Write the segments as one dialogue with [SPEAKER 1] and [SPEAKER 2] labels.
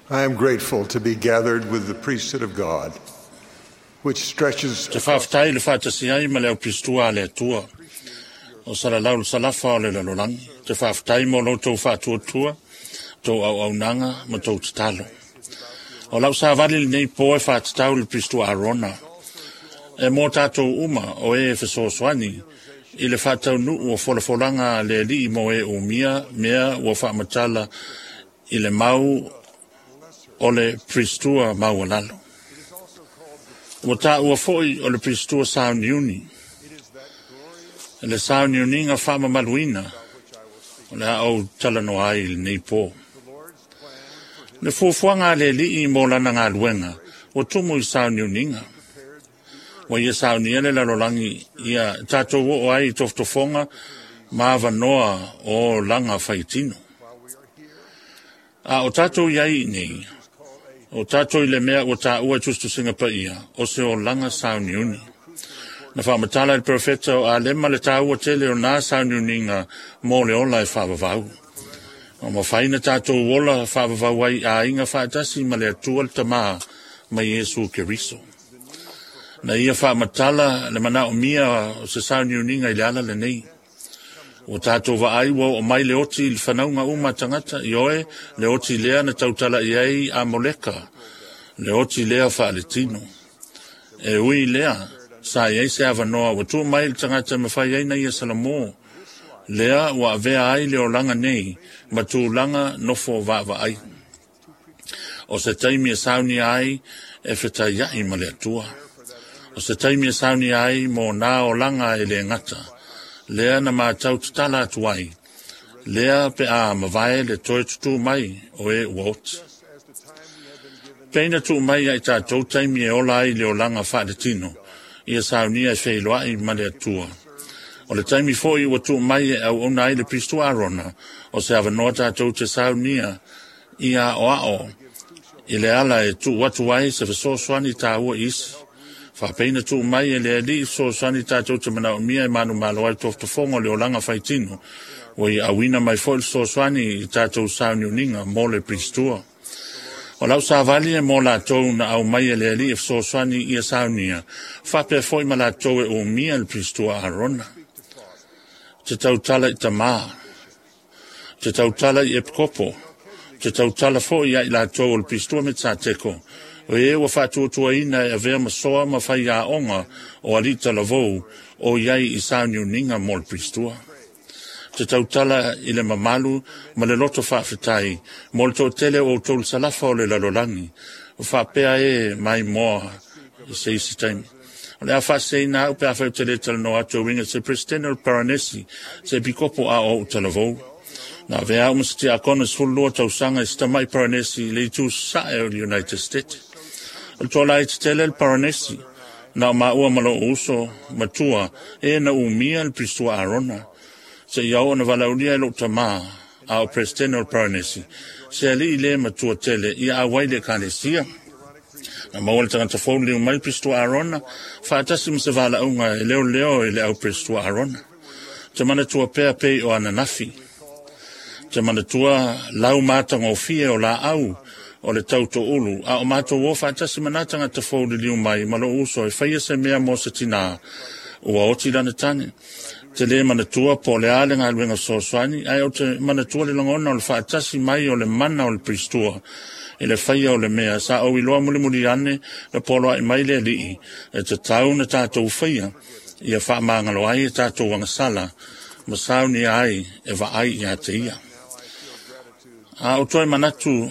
[SPEAKER 1] I am grateful to be gathered with the priesthood of God, which stretches
[SPEAKER 2] Te faafetai le faatasi ai ma le au pistua a le Atua o salalau le salafa o le lalolagi. Te faafetai mo lo outou faatuatua, tou auaunaga ma tou tatalo. O lau savali lenei po e faatatau i le pistua Arona, e mo tatou uma o e fesoasoani i le faataunuu o folafolaga a le Alii mo e umia mea ua faamatala i le mau o le Pristua maualalo. Ua taua foi o le Pristua sauniuni, le sauniuniga faamamaluina o le a ou talanoa ai i lenei po. Le fuafuaga a le Alii mo lana galuega ua tumu i sauniuniga. Ua ia saunia le lalolagi ia tatou oo ai i tofotofoga ma avanoa o olaga faitino. A o tatou i ai nei, o tatou i le mea ua taua e tusitusiga paia, o se olaga sauniuni. Na faamatala e le perofeta o Alema le taua tele o na sauniuniga mo le ola e faavavau. Ua mafai na tatou ola faavavau ai aiga faatasi ma le Atua le Tama ma Iesu Keriso. Na ia faamatala le manaomia o se sauniuniga i le ala lenei. Ua tatou vaai ua oo mai le oti i le fanauga uma a tagata, ioe, le oti lea na tautala i ai a Moleka, le oti lea faaletino. E ui lea, sa i ai se avanoa ua tuu mai i le tagata e mafai ai na ia salamo, lea ua avea ai le olaga nei ma tulaga nofo vaavaai. O se taimi e saunia ai e fetaiai ma le Atua. O se taimi e saunia ai mo nā olaga e le gata, lea na matau tatala atu ai, lea pe a mavae le toe tutū mai o e ua oti. Peina tuu mai ia i tatou taimi e ola ai le olaga faaletino, ia saunia e feiloai ma le Atua. O le taimi foi ua tuu mai e auauna ai le Pristua Arona, o se avanoa tatou te saunia ia aoao i le ala e tuu atu ai se fesoasoani taua i isi. Faapeina tuu mai e le Alii fesoasoani tatou te manaomia e manumalo ai tofotofoga o le olaga faitino, ua ia auina mai foi le fesoasoani i tatou sauniuniga mo le Pristua. O lau savali e mo latou na au mai e le Alii e fesoasoani ia saunia, faapea foi ma latou e umia le Pristua Arona. Te tautala i tamā, te tautala i epikopo, te tautala foi ia i latou o le Pristua me Tsateko, o e ua faatuatuaina e avea ma soa ma faiaoga o alii talavou o i ai i sauniuniga mo le Pristua. Te tautala i le mamalu ma le loto faafetai mo le toatele o outou le salafa o le lalolagi, o faapea e maimoa i se isi taimi. O le a faaseseina au pe afai ou te le talanoa atu e uiga i se Peresetene o le Paranesi, se epikopo a o ou talavou. Na avea au ma se tiakono i 12 tausaga i se tamai Paranesi i le itu sasae o le United States. O le toalaiti tele le Paranesi, na o maua ma lou uso matua e na umia le Pristua Arona. Se ia oo na valaaulia e lou tamā, a o Peresetene o le Paranesi, se alii le matua tele ia auai le ekalesia. Na maua le tagata fou liliu mai le Pristua Arona, faatasi ma se valaauga e leoleo i le au Pristua Arona. Te manatua pea pei o ananafi. Te manatua lau matagofie o laau o le tautoulu, a o matou o faatasi ma nā tagata fou liliu mai ma lou uso e faia se mea mo se tinā, ua oti lana tane. Te le manatua po o le a le galuega fesoasoani, ae ou te manatua le lagona o le faatasi mai o le mana o le Pristua i le faia o le mea sa ou iloa mulimuli ane le poloai mai le Alii e tatau na tatou faia ia faamagalo ai e tatou agasala ma saunia ai e vaai ia te ia. A o toe manatu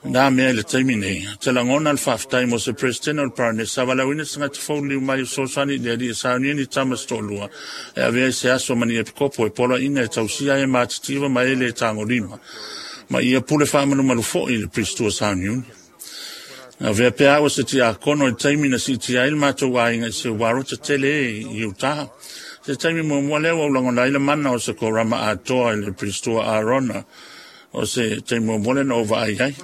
[SPEAKER 2] nā mea i le taimi nei, te lagona le faafetai mo se Peresetene o le Paranesi, sa valaauina se tagata fou liliu mai o fesoasoani i le Alii e saunia ni tama se toalua, e avea i se aso ma ni epikopo e poloaiina e tausia ai e matitiva ma e le tagolima, ma ia pule faamalumalu foi i le Pristua sauniuni. Na avea pea au e se tiakono i le taimi na siitia ai le matou aiga i se uarota tele e i Utah. Se taimi muamua lea ua ou lagona ai le mana o se korama atoa i le Pristua Arona, o se taimi muamua lea na ou vaai ai.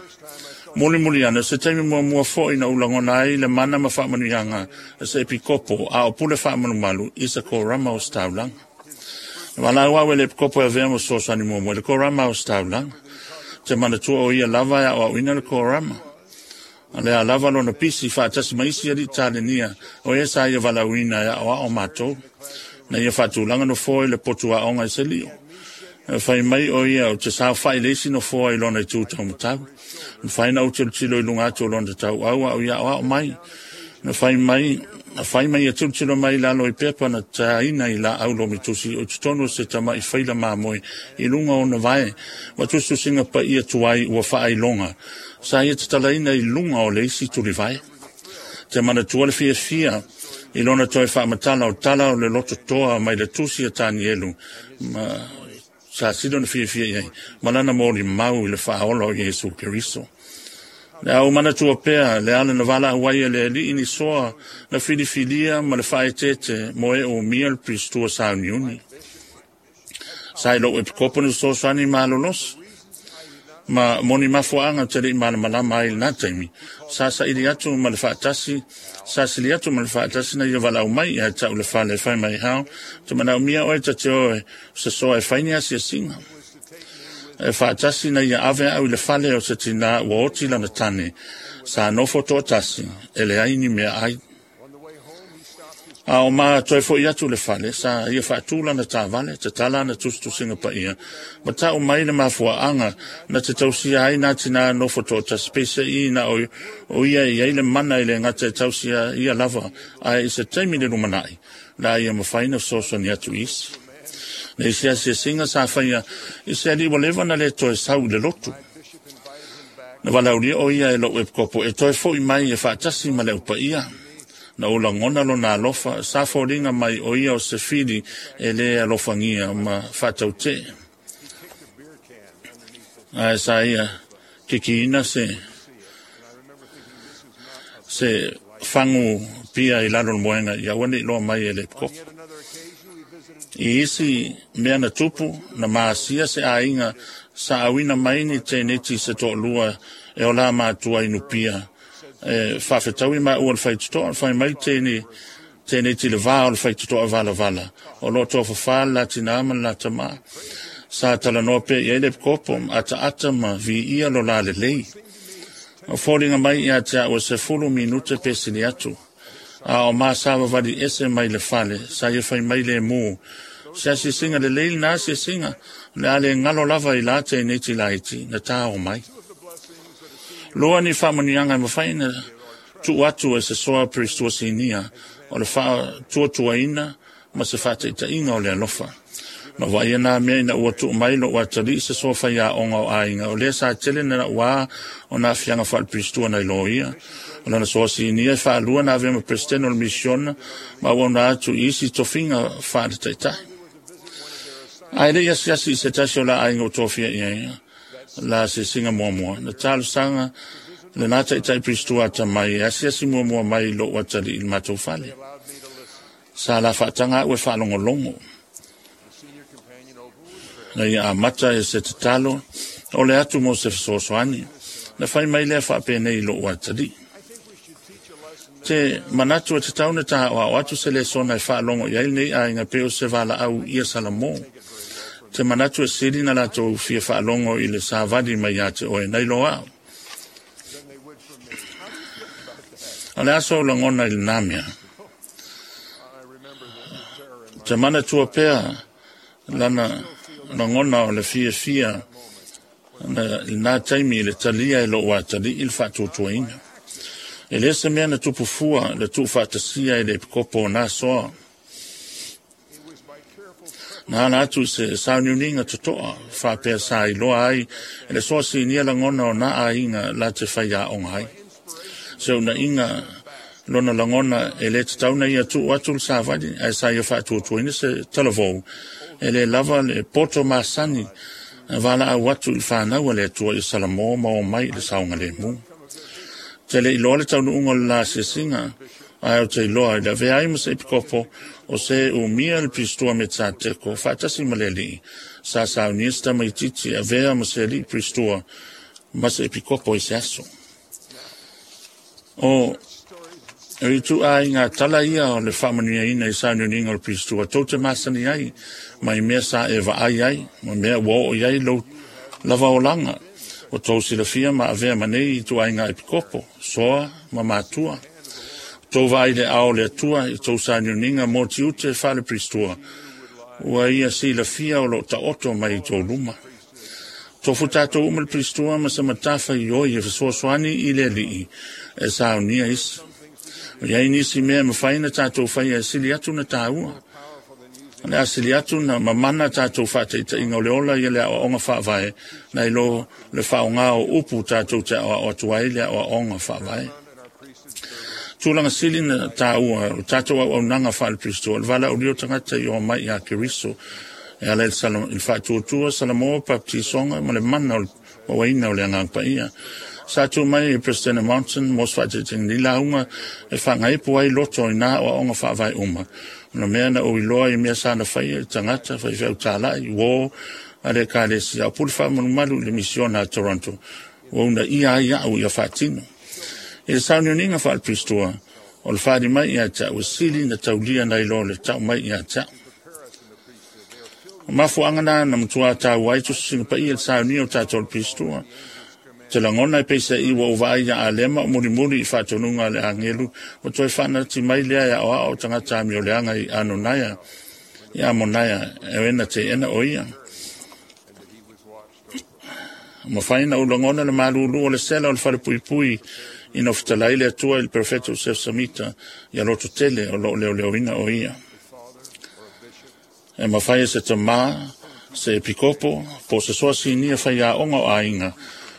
[SPEAKER 2] Mulimuli ane, o se taimi muamua foi na ou lagona ai le mana ma faamanuiaga a se epikopo a o pule faamalumalu i se korama o se taulaga. Na valaau au e le epikopo e avea ma fesoasoani muamua i le korama o se taulaga. Te manatua o ia lava e aoaoina le korama. O le a lava lona pisi faatasi ma isi alii talenia o e sa ia valaauina e aoao matou. Na ia faatulaga nofoa i le potu aoga i Selio. E fai mai o ia o te saofai le isi nofoa i lona itu taumatau. Na fai na ou tilotilo i luga atu o lona tauau a o ia aoao mai. Na fai mai na fai mai ia tilotilo mai i lalo i pepa na taina i laau lomitusi o i totonu o se tama'i faila mamoe i luga o ona vae ma tusitusiga paia tuai ua faailoga sa ia tatalaina i luga o le isi tulivae. Te manatua le fiafia i lona toe faamatala o tala o le lototoa mai le tusi a Tanielu ma sa sili ona fiafia i ai ma lana molimau i le faaola o Iesu Keriso. Le a ou manatua pea le ala na valaau ai e le Alii ni soa na filifilia ma le faaeteete mo e umia le Piristua sauniuni. Sa i lou epikopo ni fesoasoani malolosi ma moni mafuaaga ou te le i malamalama ai i lena taimi. Sa saili atu ma le faatasi, sa sili atu ma le faatasi na ia valaau mai ia te au i le fale e fai mai, Hal, ou te manaomia oe ta te o e sosoa e fai ni asiasiga. E faatasi na ia ave au i le fale o se tinā ua oti lana tane, sa nofo toatasi, e leai ni meaai. A o ma toe foi atu i le fale, sa ia faatu lana taavale, tatala ana tusitusiga paia, ma tau mai le mafuaaga na te tausia ai nā tinā nofo toatasi, peiseai na o, o ia e i ai le mana e le gata e tausia ia lava, ae i se taimi i le lumanai, la ia mafai na fesoasoani atu i isi. Le isi asiasiga sa faia i se alii ua leva na le toe sau i le lotu. Na valaaulia o ia e lou epikopo e toe foi mai e faatasi ma le au paia. Na ou lagona lona alofa, sa foliga mai o ia o se fili e le alofagia ma faatautee. Ae sa ia kikiina se se fagu pia i lalo o le moega ia aua ne i loa mai e le epikopo. I isi mea na tupu, na masia se aiga sa auina mai ni teineti se toalua e ola matua i Nupia. E faafetaui maua le faitotoa, fai mai teine teineti le va o le faitotoa valavala. O lo o tofafa le la tinā ma le la tamā. Sa talanoa pea i ai le epikopo, ataata ma viia lo la lelei. O foliga mai ia te au e 10 minute pe sili atu. A o ma savavali ese mai le fale, sa ia fai mai lemu. Se asiasiga lelei lena asiasiga, o le a le galo lava i la teineiti laiti na tao mai. Lua ni faamanuiaga e mafai ona tuu atu e se soa Piristua Sinia o le faatuatuaina ma se faataitaiga o le alofa. Na vaaia nā mea ina ua tuu mai lou atalii se soa faiaoga o aiga, o lea sa tele na naʻuā o nā aafiaga faale-Piristua nai loia. O lana soa sinia e faalua na avea ma Peresetene o le Misiona ma auauna atu i isi tofiga faale-taitai. Ae le i asiasi i se tasi o la aiga ua tofia i ai la asiasiga muamua, na talosaga lena taitai Piristua atamai e asiasi muamua mai i lou atalii i le matou fale. Sa la faataga au e faalogologo. Na ia amata e se tatalo o le atu mo se fesoasoani. Na fai mai lea faapenei i lou atalii. Te manatu e tatau na tāoao atu se lesona e faalogo i ai lenei aiga pei o se valaau ia Salamo. Te manatu e sili na latou fia faalogo i le savali mai ia te oe nai lo au. O le a sou lagona i lena mea? Te manatua pea lana lagona o le fiafia na lena taimi i le talia e lou atalii le faatuatuaina. E le se mea na tupu fua le tuufaatasia e le epikopo o na soa. Na ala atu i se sauniuniga totoa faapea sa iloa ai e le soa sinia lagona o na aiga la te faiaoga ai. Se unaiga lona lagona e le tatau na ia tuu atu le savali ae sa ia faatuatuaina se talavou e le lava le poto masani valaau atu i le fanau a le Atua ia Salamo ma omai i le saogalemu. Te le iloa le taunuuga o le la asiasiga, ae ou te iloa i le avea ai ma se epikopo o se umia le Piristua Metsateko faatasi ma le alii, sa saunia se tamaitiiti e avea ma se alii Piristua ma se epikopo i se aso. O ituaiga tala ia o le faamanuiaina i sauniuniga o le Piristua tou te masani ai mai mea sa e vaai ai, ma mea ua oo i ai lou lava olaga. Ua tou silafia ma avea ma nei ituaiga epikopo, soa ma matua. Tou vaai i le ao o le Atua i tou sauniuniga mo tiute faale-Piristua, ua ia silafia o lo o taoto mai i tou luma. Tofu tatou uma le Piristua ma se matafaioi e fesoasoani i le Alii e saunia isi. O i ai nisi mea e mafai ona tatou faia e sili atu na taua. O le a sili atu na mamana tatou faataitaiga o le ola ia le aoaoga faavae nai lo le faaaoga o upu tatou te aoao atu ai le aoaoga faavae. Tulaga sili na taua o tatou auaunaga faale-Piristua o le valaaulia o tagata i o mai ia Keriso e ala i le faatuatua Salamo baptisoga ma le mana o le mauaina o le Agaga Paia. Sa tu mai e President Monson mo se faataitaiga ni lauga e faagaipu ai loto i nā aoaoga faavae uma. O na mea na ou iloa i mea sa na faia i tagata faifeau tālai, uō a le ekalesia, o pule faamalumalu i le misiona a Toronto, ua uunaia ai au ia faatino. I le sauniuniga faale-Piristua, o le faaali mai ia te au e sili na taulia nai lo le tau mai ia te au. O mafuaaga na na matua taua ai tusitusiga paia i le saunia o tatou le Piristua. Te lagona e peiseai ua ou vaai ia Alema o mulimuli i faatonuga a le agelu, ua toe faanati mai lea e aoao o tagata amioleaga i Anonaia, i Amonaia, e na teena o ia. Mafai na ou lagona le malulu o le sela o le falepuipui ina fetalai le Atua i le perofeta o Joseph Samita ia loto tele o loo leoleoina o ia. E mafai e se tamā, se epikopo, po o se soa sinia faiaoga o aiga,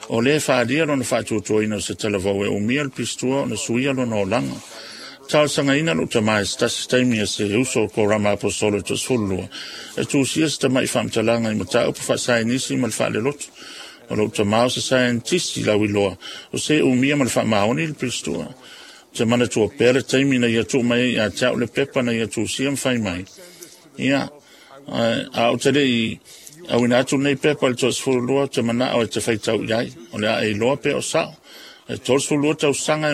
[SPEAKER 2] o le faaalia lona faatuatuaina o se talavou e umia le Piristua ona suia lona olaga. Talosagaina lou tamā i se tasi taimi a se uso o Korama Aposolo e 12, e tusia se tama'i faamatalaga i mataupu faasaenisi ma le faalelotu. O lou tamā o se saienitisi lauiloa, o se umia ma le faamaoni le Piristua. Te manatua pea le taimi na ia tuu mai ai ia te au le pepa na ia tusia ma fai mai. Ia, a o te le i auina atu lenei pepa i le 32, te manao e te faitau i ai. O le a e iloa pea o sao. E 32 tausaga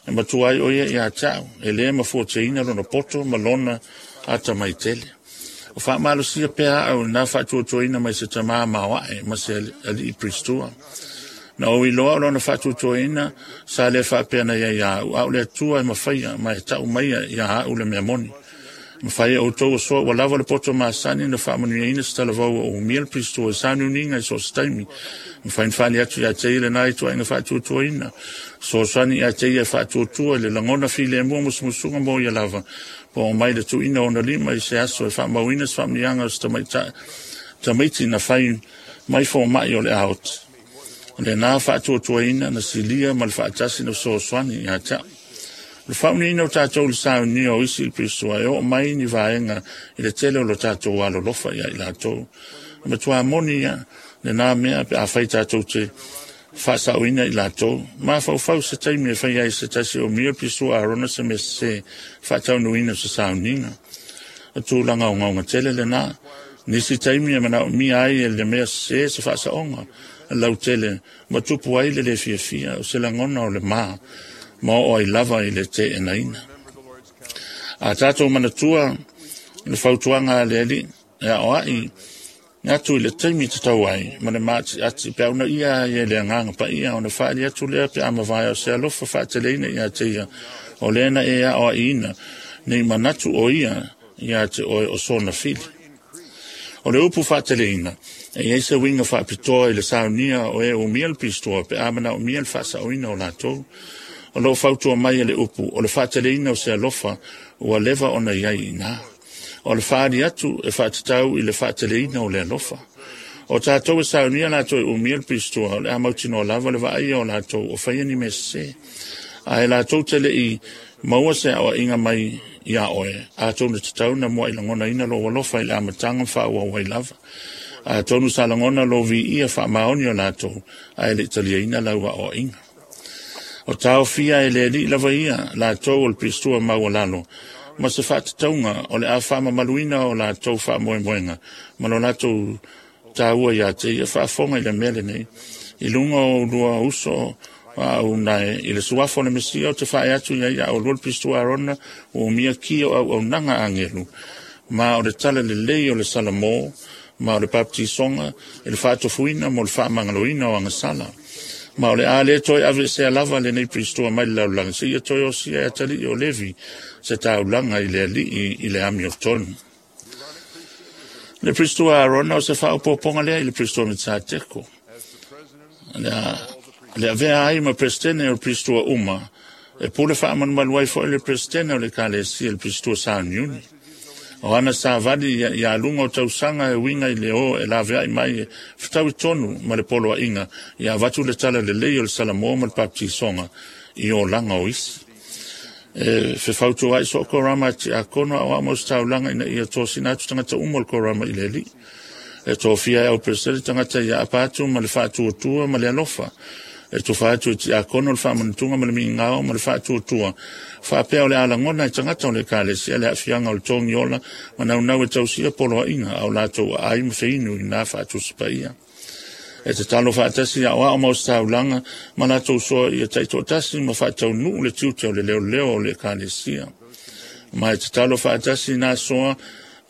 [SPEAKER 2] e matua ai o ia ia te au. E le mafuateina lona poto ma lona atamai tele. O faamalosia pea au na faatuatuaina mai se tamā maoae ma se alii Piristua. Na ou iloa o lona faatuatuaina sa le faapea na ia ia au, a o le Atua e mafaia ma e tau maia ia au le mea moni. Mafai e outou o soa ua lava le poto masani na faamanuiaina se talavou o umia le Piristua i sauniuniga i so o se taimi. Mafai na faali atu ia te ia lena ituaiga faatuatuaina. Fesoasoani ia te ia e faatuatua i le lagona filemu musumusuga mo ia lava. Po o mai le tuuina o ona lima i se aso e faamauina se faamanuiaga o se tamaitai tamaiti na fai mai fomai o le aoti. O lena faatuatuaina na silia ma le faatasi na fesoasoani ia te au. O le faaunuiina o tatou i le saunia o isi i le Piristua e oo mai ni vaega i le tele o lo tatou alolofa ia i latou. E matua moni ia lena mea pe afai tatou te faasaoina i latou. Mafaufau se taimi e fai ai se tasi o mia le Piristua Arona se mea sese faataunuina o se sauniga. O tulaga ogaoga tele lena. Nisi taimi e manaomia ai e le mea sese se faasaoga lautele ma tupu ai le le fiafia o se lagona o le ma ma oo ai lava i le teenaina. A tatou manatua le fautuaga a le Alii e aoai atu i le taimi tatau ai ma le maatiati pe a uunaia ai e le Agaga Paia ona faaali atu lea pe a mavae o se alofa faateleina ia te ia o lea na e aoaiina nei manatu o ia ia te oe o sona fili. O le upu faateleina, e i ai se uiga faapitoa i le saunia o e umia le Piristua pe a manaomia le faasaoina o latou. O loo fautua mai e le upu, o le faateleina o se alofa ua leva ona i ai i ina. O le faaali atu e faatatau i le faateleina o le alofa. O tatou e saunia latou e umia le Piristua, o le a mautinoa lava le vaaia o latou o faia ni mea sese. Ae latou te le i maua se aoaiga mai ia oe, atonu e tatau na muai lagonaina lou alofa i le amataga ma faaauau ai lava. Atonu sa lagona lou viia faamaoni o latou, ae le i taliaina lau aoaiga. O taofia e le Alii lava ia latou o le Piristua maualalo, ma se faatatauga o le a faamamaluina o latou faamoemoega ma lo latou taua ia te ia. Faafofoga i le mea lenei i luga o ulua uso a au nae i le suafa o le Mesia o te faae atu ia ia oulua le Piristua Arona ua umia ki o auaunaga agelu ma o le tala lelei o le Salamo ma o le papatisoga i le faatofuina mo le faamagaloina o agasala. Ma o le a le toe aveesea lava lenei Pirisitoa mai le lalolagi, seia toe osia e atalii o Levi se taulaga i le Alii i le amiotonu. Le Pirisitoa Arona o se faaopoopoga lea i le Pirisitoa Melisateko. Le avea ai ma Peresetene o le Pirisitoa uma, e pule faamalumalu ai foi le Peresetene o le Ekalesia i le Pirisitoa Sauniuni. O ana savali ia luga o tausaga e uiga i le o e laveai mai e fetaui tonu ma le poloaiga ia avatu le tala lelei o le Salamoa ma le Papatisoga i olaga o isi. E fefautuaai soo korama a tiakono aoao ma ositaulaga ina ia tosina atu tagata uma o le korama i le Alii. E tofia e au Peresetene tagata ia apa atu ma le faatuatua ma le alofa. E tufa atu e tiakono le faamanatuga ma le migao ma le faatuatua. Faapea o le a lagona e tagata o le Ekalesia le aafiaga o le togiola ma naunau e tausia poloaiga a o latou aai ma feinu i na faatusi paia. E tatalo faatasi aoao ma ositaulaga ma latou soa ia taitoatasi ma faataunuu le tiute o le leoleo o le Ekalesia. Ma e tatalo faatasi nā soa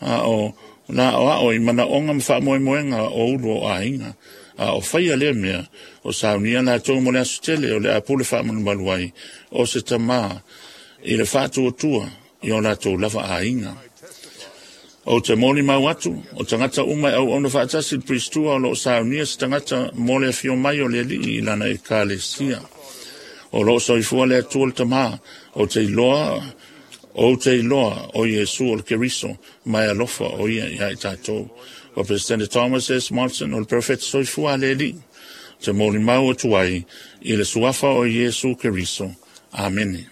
[SPEAKER 2] a o la aoao i manaoga ma faamoemoega o ulu o aiga. A o faia lea mea, o saunia latou mo le aso tele o le a pule faamalumalu ai o se tamā i le faatuatua i o latou lava aiga. Ou te molimau atu, o tagata uma e auauna faatasi i le Piristua o lo o saunia se tagata mo le afio mai o le Alii i lana Ekalesia. O lo o soifua le Atua le Tamā, ou te iloa ou te iloa o Iesu o le Keriso, ma e alofa o ia ia i tatou. O President Thomas S. Monson o le Perofeta soifua a le Alii, te molimau atu ai i le suafa o Iesu Keriso. Amene.